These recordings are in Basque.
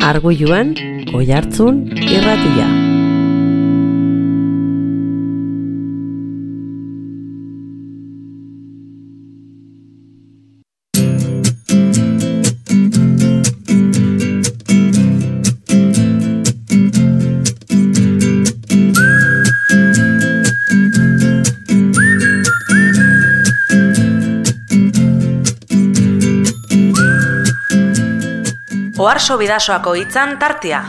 Arguiluan, Oihartzun irratia. Oharso Bidasoako hitzan tartea.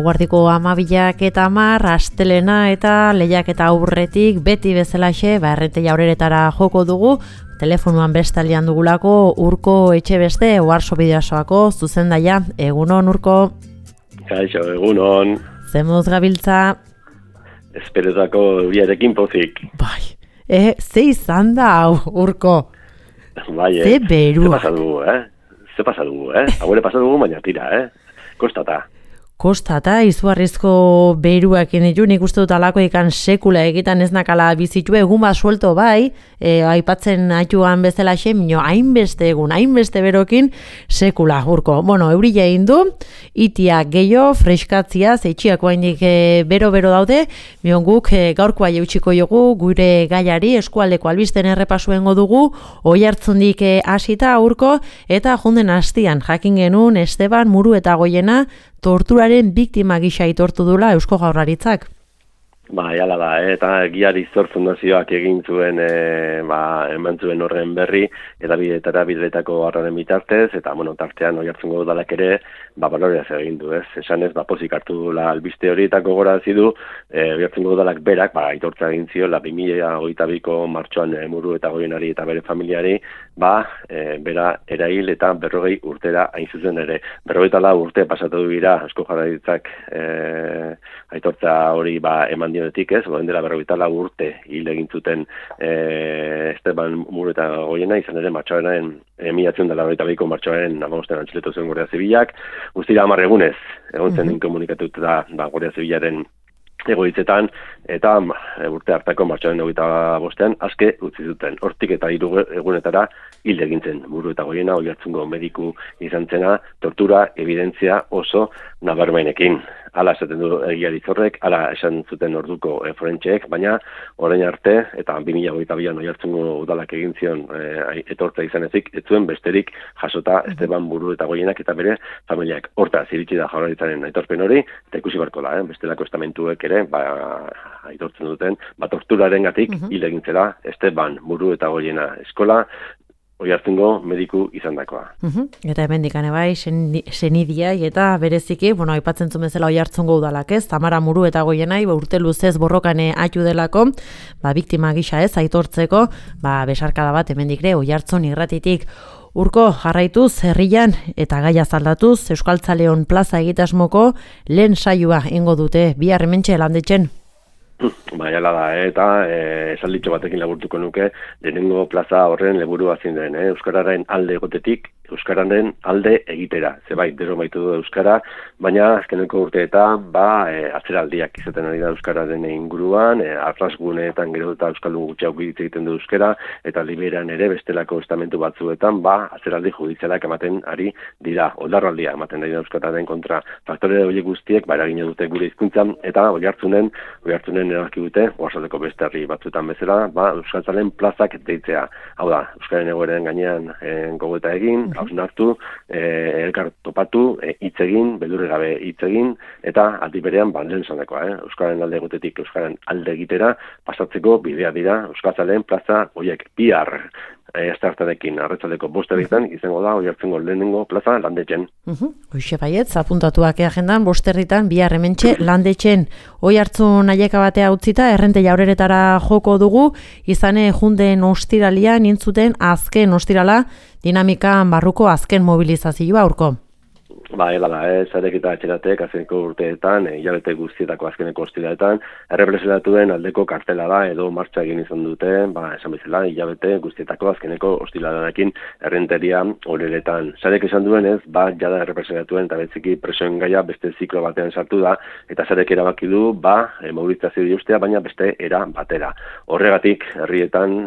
Guardiko 12:10 astelena eta lehiaketa aurretik beti bezalaxe Errente Jaureretara joko dugu. Telefonoan bestalian dugulako Urko Etxebeste Oharso Bidasoako zuzendaia. Egunon, Urko. Kaixo, egunon. Zemuz gabiltza? Esperetako euriarekin pozik. Bai, ze izan da, Urko? Bai, ze berua. Ze pasa dugu, Hauere pasa dugu, baina tira, Kostata. Kostata, izugarrizko beruakin ditu, nik uste dut alako ikan sekula egitan ez nakala bizitu, egun bat suelto bai, aipatzen aituan bezala xemino, hainbeste egun, hainbeste berokin sekula, Urko. Bueno, eurila egin du, itia gehiago, freskatzia, zeitxiako haindik bero-bero daude, mion guk gaurkoa jautxiko jogu, gure gaiari, eskualdeko albisten errepasu dugu, Oihartzundik hasita, Urko, eta jonden hastian, jakin genuen Esteban Muruetagoiena, torturaren biktima gisa aitortu dula Eusko Jaurlaritzak. Bai, hala da, eta Giari Zor Fundazioak egin zuen, eman zuen horren berri, edabideetara bideetako harraren bitartez, eta, tartean Oihartzungo udalak ere, baloreaz egin du, ez? Esan ez, pozik hartu dula albiste horietako gorazi du, Oihartzungo udalak berak, aitortza egin ziola 2022ko martxoan Muruetagoienari eta bere familiari, bera erail eta 40 urtera hain zuzen ere. 44 urte pasatu dira Eusko Jaurlaritzak aitortza hori eman dionetik, ez? Dela 44 urte hil egin zuten Esteban Muruetagoiena, izan ere martxoaren 1992ko martxoaren 15 antxiletu zuen Guardia Zibilak, guztira 10 egunez egon zen inkomunikatuta Guardia Zibilaren egoitzetan, eta urte hartako martxoaren 25ean aske utzi zuten. Hortik eta 3 egunetara hil egin zen Muruetagoiena, Oihartzungo mediku izan zena, tortura evidentzia oso nabarmenekin. Hala esaten du Giari Zorrek, hala esan zuten orduko forentxeek, baina orain arte, eta 2022an Oihartzungo udalak egin zion etortza izan ezik, ez zuen besterik jasota Esteban Muruetagoienak eta bere familiak. Hortaz, iritsi da Jaurlaritzaren aitorpen hori, eta ikusi barko da, bestelako estamentuek ere, aitortzen duten, torturarengatik hil egin zela Esteban Muruetagoiena eskola, Oihartzungo mediku izandakoa. Eta hemendik bai, senidiai eta bereziki, aipatzen zuen bezala Oihartzungo udalak, ez? Tamara Muruetagoienai urte luzez borrokan aitu delako, biktima gisa ez aitortzeko, besarkada bat hemendik ere Oihartzun irratitik. Urko, jarraituz, herrian eta gaia zaldatuz, Euskaltzaleon plaza egitasmoko lehen saioa ingo dute, bihar hementxe Landetxen. Hala da, eta esalditxo batekin laburtuko nuke, lehenengo plaza horren leburua zein den, Euskararen alde egotetik, Euskararen alde egitera. Zebait, dero baitu du Euskara, baina azkeneko urteetan, atzeraldiak izaten ari da Euskararen inguruan, arrasguneetan gero eta Euskaldun gutxiago hitz egiten du Euskara, eta liberan ere bestelako estamentu batzuetan, atzeraldi judizialak ematen ari dira, oldarraldia ematen ari da Euskararen kontra. Faktore horiek guztiek, eragina dute gure hizkuntzan, eta Oihartzunen erabaki dute, oarzaldeko beste herri batzuetan bezala, Euskaltzalen plazak deitzea. Hau da, Euskaren egoeren gainean gogoeta egin, hausnartu, elkar topatu, hitz egin, beldurri gabe hitz egin, eta aldi berean lehen zandakoa, Euskaren alde egotetik Euskaren alde egitera pasatzeko bidea dira Euskaltzalen plaza horiek bihar. Estartarekin arratsaldeko 5:00 izango da Oihartzungo lehenengo plaza Landetxen. Hoxe baietz, apuntatuak agendan 5:00 bihar hementxe Landetxen. Oihartzun aieka batea utzita Errente Jaureretara joko dugu, izane junden ostiralia nintzuten azken ostirala dinamikan barruko azken mobilizazioa, Urko. Ela da, zarek eta etxeratek azkeneko urteetan, hilabete guztietako azkeneko ostiraletan, errepresentatuen aldeko kartela da, edo martxa egin izan dute, esan bezala, hilabete guztietako azkeneko ostiralearekin errenteria horeretan. Zarek esan duenez, jada errepresentatuen eta betziki presoen gaia beste ziklo batean sartu da, eta zarek erabaki du, mobilizazio diustea, baina beste era batera. Horregatik, herrietan,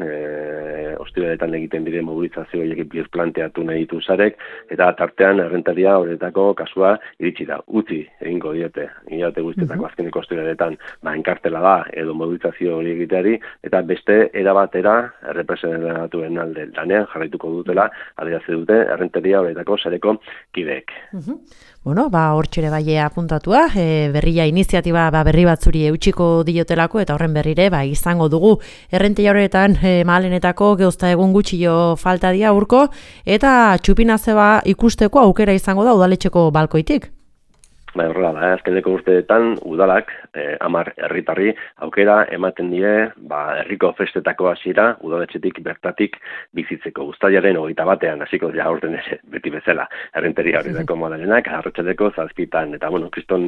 ostiraletan egiten dire mobilizazio horiek birplanteatu nahi ditu zarek, eta tartean errenteria horeretako kasua iritsi da, utzi egingo diete, hilabete guztietako azkeneko ostiraletan enkartela da edo mobilizazio hori egiteari, eta beste erabatera errepresentatuen alde lanean jarraituko dutela, adierazi dute errenteria horretako sareko kideek. Bueno, hortxere bai apuntatua, berria iniziatiba berri batzuri eutxiko diotelako, eta horren berrire izango dugu errenteria horretan mahalenetako geuzta egun gutxio falta dia urko, eta txupinazeba ikusteko aukera izango da udaletxeko balkoitik. Horrela da, azkeneko urteetan udalak 10 herritarri aukera ematen die herriko festetako hasiera udaletxetik bertatik bizitzeko. Uztailaren 21ean hasiko dira aurten ere beti bezala errenteria horretako modalenak arratsaldeko 7:00 eta kriston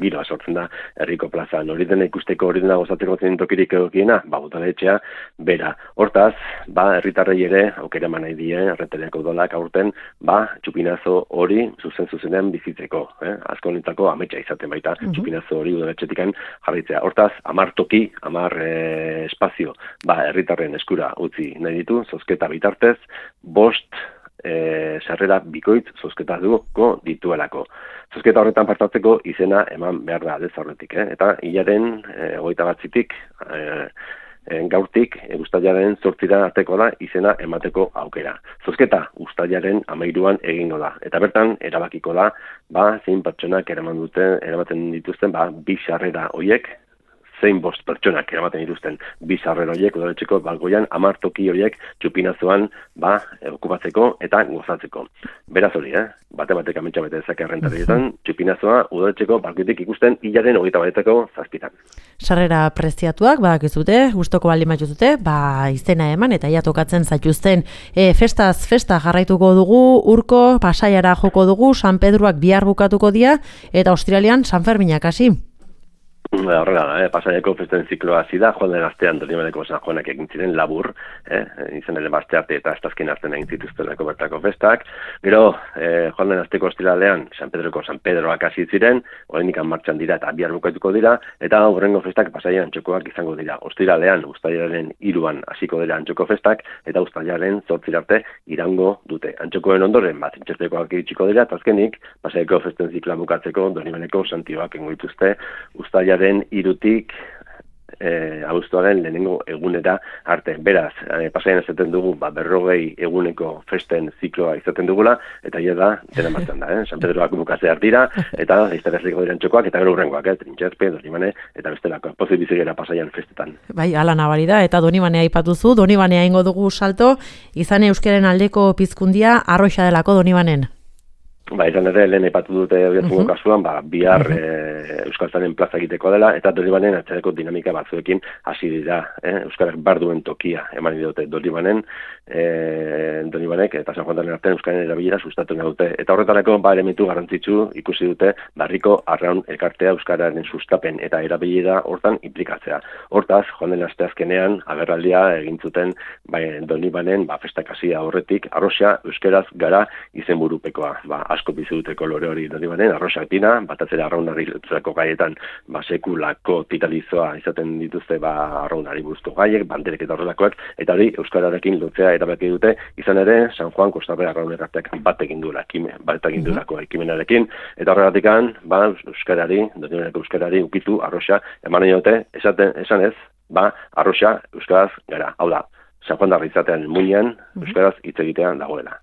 giroa sortzen da herriko plazan. Hori dena ikusteko, hori dena gozatzeko zen tokirik egokiena, udaletxea bera. Hortaz, herritarrei ere aukera eman nahi die errenteriako udalak aurten txupinazo hori zuzenean bizitzeko, honetako ametsa izaten baita, txupinazo hori udaletxetikan jarraitzea. Hortaz, 10 toki, 10 espazio, herritarren eskura utzi nahi ditu, zozketa bitartez, 5 sarrera bikoitz zozketatuko dituelako. Zozketa horretan partatzeko izena eman behar da aldez aurretik, eta hilaren 21-tik gaurtik uztailaren 8 arteko da izena emateko aukera. Zozketa uztailaren 13an egingo da, eta bertan erabakiko da zein pertsonak eramaten dituzten 2 sarrera horiek, zein 5 pertsonak eramaten dituzten 2 sarrera horiek udaletxeko balkoian 10 toki horiek txupinazoan okupatzeko eta gozatzeko. Beraz hori, bate-batek ametsa bete dezake errentarietan, txupinazoa udaletxeko balkoitik ikusten hilaren 21-ko 7:00. Sarrera preziatuak, badakizute, gustoko baldin batuzute, izena eman eta ia tokatzen zaituzten. Festaz festa jarraituko dugu, urko Pasaiara joko dugu, San Pedroak bihar bukatuko dira, eta ostiralean San Ferminak hasi. Horrela da, Pasaiako festen zikloa hasi da, joan den astean Donibaneko San Juanak egin ziren labur, izan ere aste arte eta astazken artean egin zituztenako bertako festak. Gero, joan den asteko ostiralean San Pedroak hasi ziren, oraindik martxan dira eta bihar bukatuko dira, eta hurrengo festak Pasaian antxokoak izango dira. Ostiralean, uztailaren 3an hasiko dira antxoko festak, eta uztailaren 8 arte irango dute. Antxokoen ondoren, zintxetekoak iritsiko dira, eta azkenik, Pasaiako festen zikloa bukatzeko Donibaneko Santioak egingo dituzte, uztailaren 3tik abuztuaren lehenengo egunera arte. Beraz, Pasaian ezaten dugu 40 eguneko festen zikloa izaten dugula, eta ia da, dena martxan da, San Pedroak bukatzear dira, eta izterreziko diren txokoak, eta gero hurrengoak, Trintxerpe, Donibane, eta bestelako, pozik bizigera Pasaian festetan. Ala nabari da, eta Donibanea aipatuzu, Donibanea ingo dugu salto, izan euskaren aldeko pizkundia arroxa delako Donibanen. Izan ere, lehen aipatu dute oiartzungo kasuan, bihar Euskaltzaren plaza egiteko dela, eta Donibanen atzereko dinamika batzuekin hasi dira. Euskarak barduen tokia eman dute Donibanek eta San Juan artean Euskaren erabilera sustatu nahi dute. Eta horretarako, elementu garrantzitsu ikusi dute barriko arraun elkartea Euskararen sustapen eta erabilera hortan implikatzea. Hortaz, joan den asteazkenean, agerraldia egin zuten Donibanen festak hasia horretik, arroxa euskaraz gara izenburupekoa. Asko bizi dute kolore hori Donibanen, arroxak dira, batatzera arraunari lotzeko gaietan sekulako titalizoa izaten dituzte arraunari buruzko gaiek, banderek eta horrelakoak, eta hori euskararekin lotzea erabaki dute, izan ere San Juan Kostarre arraunerarteak bat egin duelako ekimenarekin, eta horregatikan, euskarari, Donibaneko euskarari ukitu arroxa eman nahi dute, esan ez, arroxa euskaraz gara. Hau da, San Juan darri izatean muinean, euskaraz hitz egitean dagoela.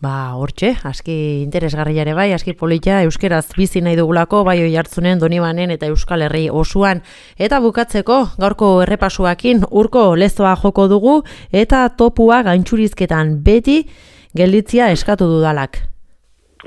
Hortxe, aski interesgarria ere bai, aski polita, euskeraz bizi nahi dugulako, bai Oiartzunen, Donibanen eta Euskal Herri osoan. Eta bukatzeko, gaurko errepasuakin, urko lezoa joko dugu, eta topua gantxurizketan beti gelditzia eskatu dudalak.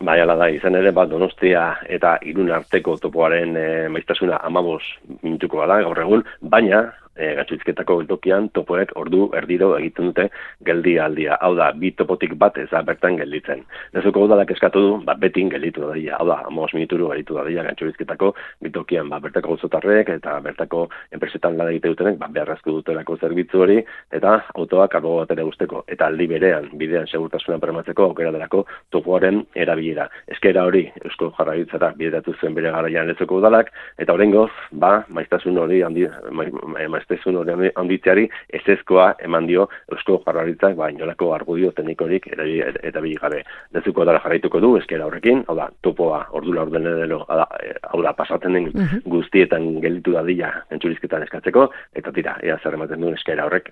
Ala da, izan ere, Donostia eta Irun arteko topoaren maiztasuna 15 minutuko da gaur egun, baina Gatsuizketako geltokian topoek ordu erdiro egiten dute geldialdia. Hau da, bi topotik bat ez da bertan gelditzen. Lezoko udalak eskatu du, betin gelditu da dira. Hau da, 5 minuturu gelditu da dira Gatsuizketako geltokian, bertako gozotarrek eta bertako enpresetan lan egite dutenek, beharrezko dutelako zerbitzu hori, eta autoak kargo batera guzteko. Eta aldi berean, bidean segurtasuna bermatzeko aukera delako topoaren erabilera. Eskera hori Eusko Jaurlaritzara bideratu zuen bere garaian Lezoko udalak, eta oraingoz, maiztasun hori handitzeari ezezkoa eman dio Eusko Jaurlaritzak inolako argudio teknikorik erabili gabe. Lezoko udala jarraituko du eskera horrekin, hau da, topoa ordula ordenedelo, hau da, pasatzen den guztietan gelditu dadila entzurizketan eskatzeko, eta tira, ea zer ematen duen eskera horrek.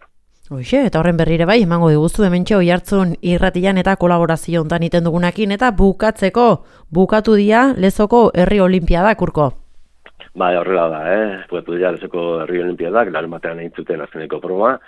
Hoxe, eta horren berrire bai, emango diguzu hementxe Oiartzun irratian eta kolaborazio hontan iten dugunakin, eta bukatu dia Lezoko Herri Olinpiadak, Urko. Horrela da, bukatu dira Lezoko Herri Olinpiadak, larun batean egin zuten azkeneko proba,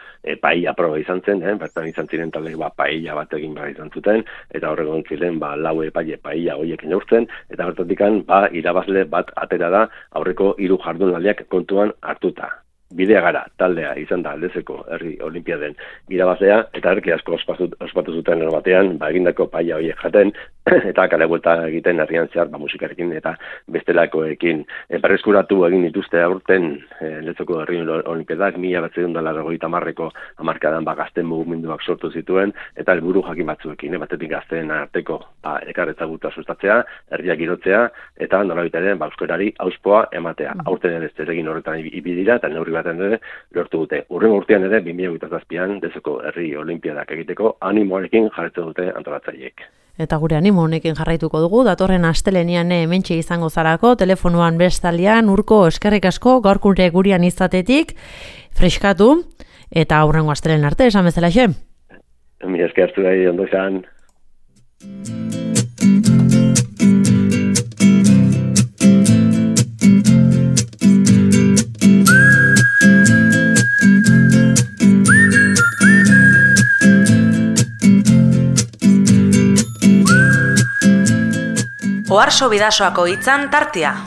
paella proba izan zen, bertan izan ziren talde paella bat egin behar izan zuten, eta horregon ziren lau epaile paella horiek neurtzen, eta bertatikan irabazle bat atera da aurreko 3 jardunaldiak kontuan hartuta. Bidea gara, taldea izan da Lezoko Herri Olinpiaden irabazlea, eta herki asko ospatu zuten batean, egindako paella horiek jaten, eta kale buelta egiten herrian zehar, musikarekin eta bestelakoekin. Berreskuratu egin dituzte aurten Lezoko Herri Olinpiadak, 1990ko hamarkadan gazten mugimenduak sortu zituen, eta helburu jakin batzuekin, batetik gazteen arteko elkarretzaguta sustatzea, herriak girotzea, eta nolabait ere euskarari auspoa ematea. Aurten ere zeregin horretan ibidira, eta neurri baten ere lortu dute. Hurrengo urtean ere 2027an Lezoko Herri Olinpiadak egiteko animoarekin jarraitzen dute antolatzaileek. Eta gure animo honekin jarraituko dugu, datorren astelenean hementxe izango zarako, telefonoan bestaldean, Urko, eskerrik asko, gaurkure gurian izatetik, freskatu, eta aurrengo astelehen arte, esan bezala xe. Mi eskertu da, ondo izan. Oarso Bidasoako hitzan tartea.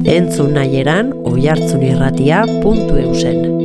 Entzun nahi eran oiartzunirratia.eusen.